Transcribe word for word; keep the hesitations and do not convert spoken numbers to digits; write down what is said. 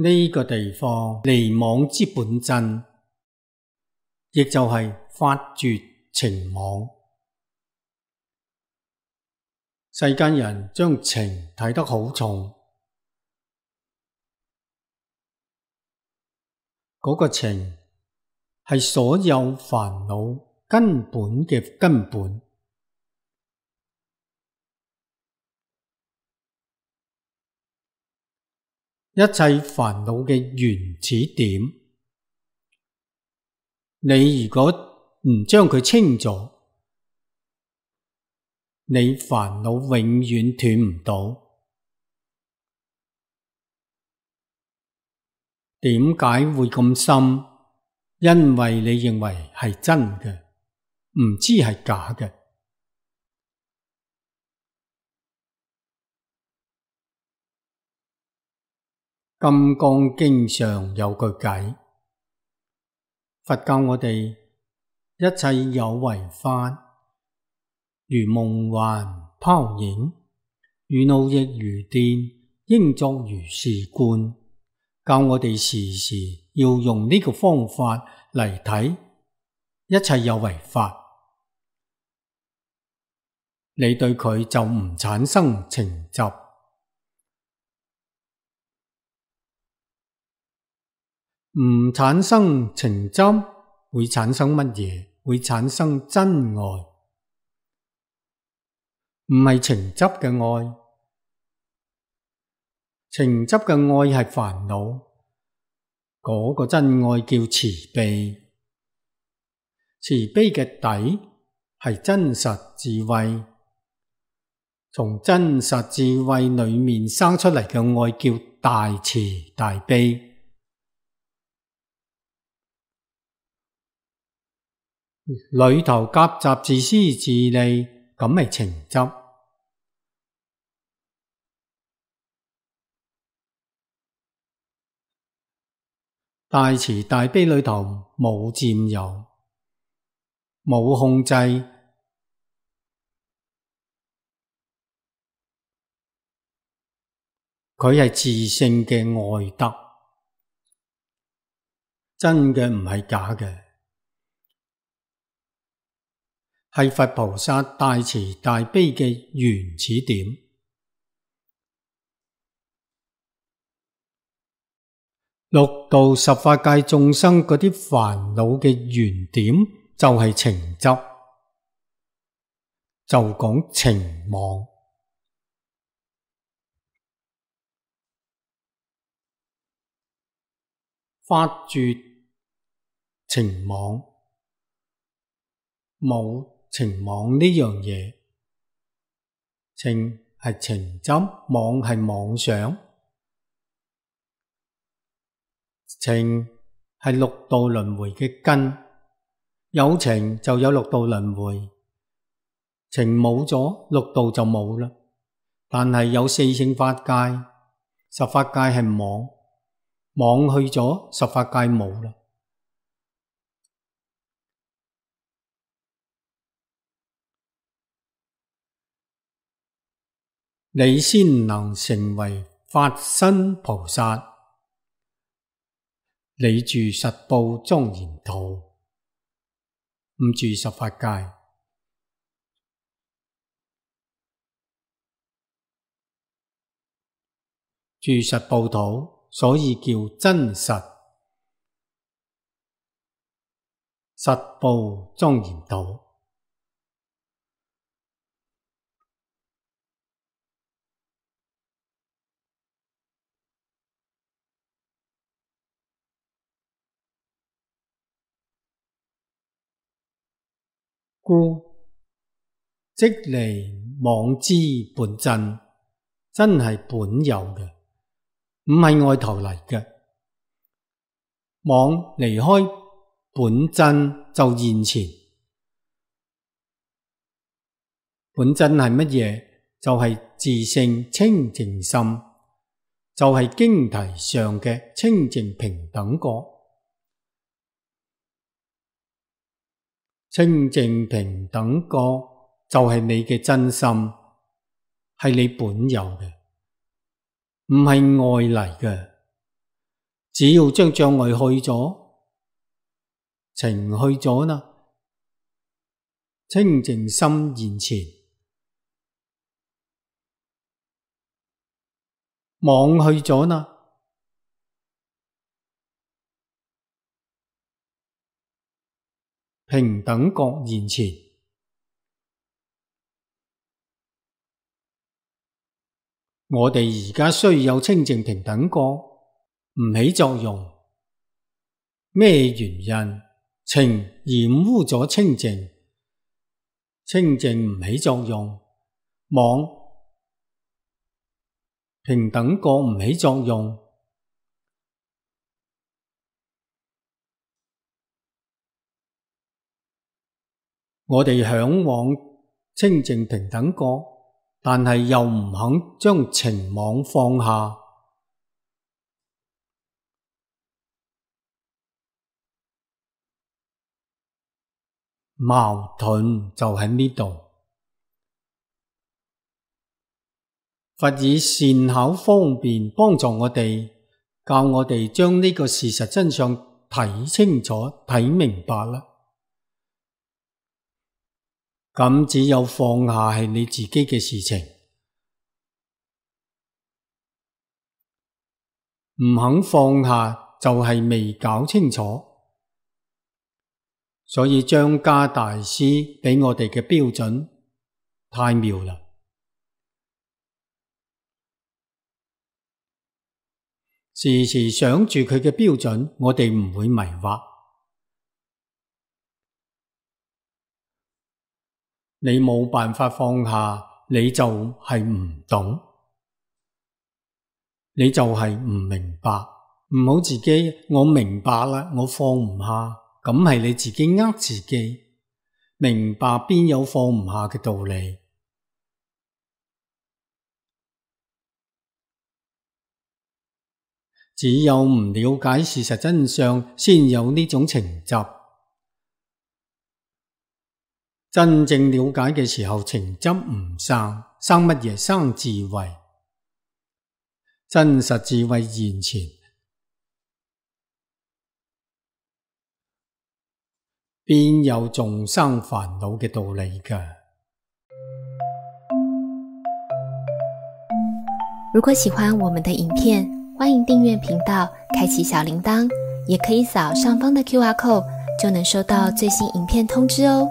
呢個地方離妄之本真，亦就係法絕情妄。世間人將情睇得好重，嗰個情係所有煩惱根本嘅根本，一切煩惱嘅原始點。你如果唔將佢清咗，你煩惱永遠斷唔到。點解會咁深？因為你認為係真嘅，唔知係假嘅。金剛經上有句偈，佛教我哋一切有為法，如夢幻泡影，如露亦如電，應作如是觀。教我哋時時要用呢個方法嚟睇一切有為法，你對佢就唔產生情執。唔產生情執，會產生乜嘢？會產生真愛，唔係情執嘅愛。情執嘅愛係煩惱，嗰個真愛叫慈悲。慈悲嘅底係真實智慧，從真實智慧裏面生出嚟嘅愛叫大慈大悲。裏頭夾雜自私自利，咁係情執。大慈大悲裏頭冇佔有，冇控制，佢係自性嘅愛德，真嘅唔係假嘅，係佛菩薩大慈大悲嘅原始點。六道十法界眾生嗰啲煩惱嘅原點就係情執，就講情妄。法絕情妄，冇情妄呢樣嘢。情係情執，妄係妄想。情係六道輪迴嘅根，有情就有六道輪迴，情冇咗，六道就冇啦。但係有四聖法界，十法界係妄，妄去咗，十法界冇啦。你先能成為法身菩薩。你住實報莊嚴土，唔住十法界。住實報土，所以叫真實。實報莊嚴土。故即離妄之本真，真係本有嘅，唔係外頭嚟嘅。妄離開本真就現前。本真係乜嘢？就係自性清淨心，就係經題上嘅清淨平等覺。清淨平等覺就係你嘅真心，係你本有嘅，唔係外嚟嘅。只要將障礙去咗，情去咗啦，清淨心現前，妄去咗啦，平等覺現前。我哋而家雖有清淨平等覺，唔起作用。咩原因？情染污咗清淨，清淨唔起作用。妄平等覺唔起作用。我哋向往清淨平等覺，但係又唔肯將情妄放下。矛盾就喺呢度。佛以善巧方便幫助我哋，教我哋將呢個事實真相睇清楚、睇明白啦。咁只有放下係你自己嘅事情，唔肯放下就係未搞清楚。所以章嘉大師畀我哋嘅標準太妙啦！時時想住佢嘅標準，我哋唔會迷惑。你冇辦法放下，你就係唔懂，你就係唔明白。唔好自己，我明白啦，我放唔下。咁係你自己呃自己，明白邊有放唔下嘅道理？只有唔了解事實真相，先有呢種情執。真正了解嘅時候，情執唔生，生乜嘢？生智慧，真實智慧現前。邊有眾生煩惱嘅道理㗎？如果喜歡我們的影片，歡迎訂閱頻道，開啟小鈴鐺，也可以掃上方的 Q R code，就能收到最新影片通知哦。